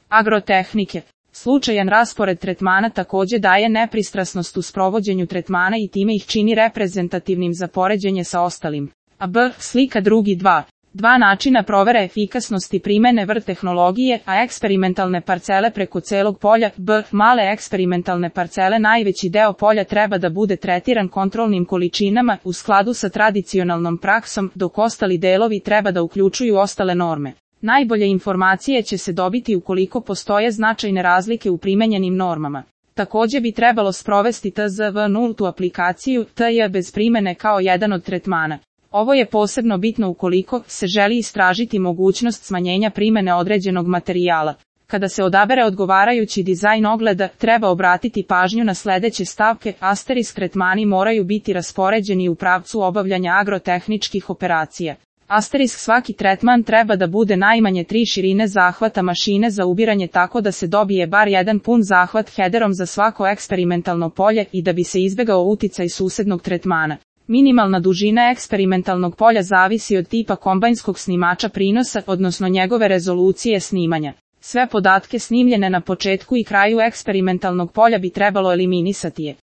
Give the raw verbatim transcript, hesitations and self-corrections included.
Agrotehnike. Slučajan raspored tretmana takođe daje nepristrasnost u sprovođenju tretmana i time ih čini reprezentativnim za poređenje sa ostalim. A B. Slika drugi dva. Dva načina provere efikasnosti primene V R tehnologije, a eksperimentalne parcele preko celog polja. B. Male eksperimentalne parcele. Najveći deo polja treba da bude tretiran kontrolnim količinama u skladu sa tradicionalnom praksom, dok ostali delovi treba da uključuju ostale norme. Najbolje informacije će se dobiti ukoliko postoje značajne razlike u primenjenim normama. Takođe bi trebalo sprovesti T Z V nultu aplikaciju T J bez primene kao jedan od tretmana. Ovo je posebno bitno ukoliko se želi istražiti mogućnost smanjenja primene određenog materijala. Kada se odabere odgovarajući dizajn ogleda, treba obratiti pažnju na sledeće stavke. Asterisk tretmani moraju biti raspoređeni u pravcu obavljanja agrotehničkih operacija. Asterisk svaki tretman treba da bude najmanje tri širine zahvata mašine za ubiranje tako da se dobije bar jedan pun zahvat headerom za svako eksperimentalno polje i da bi se izbegao uticaj susednog tretmana. Minimalna dužina eksperimentalnog polja zavisi od tipa kombajnskog snimača prinosa, odnosno njegove rezolucije snimanja. Sve podatke snimljene na početku i kraju eksperimentalnog polja bi trebalo eliminisati.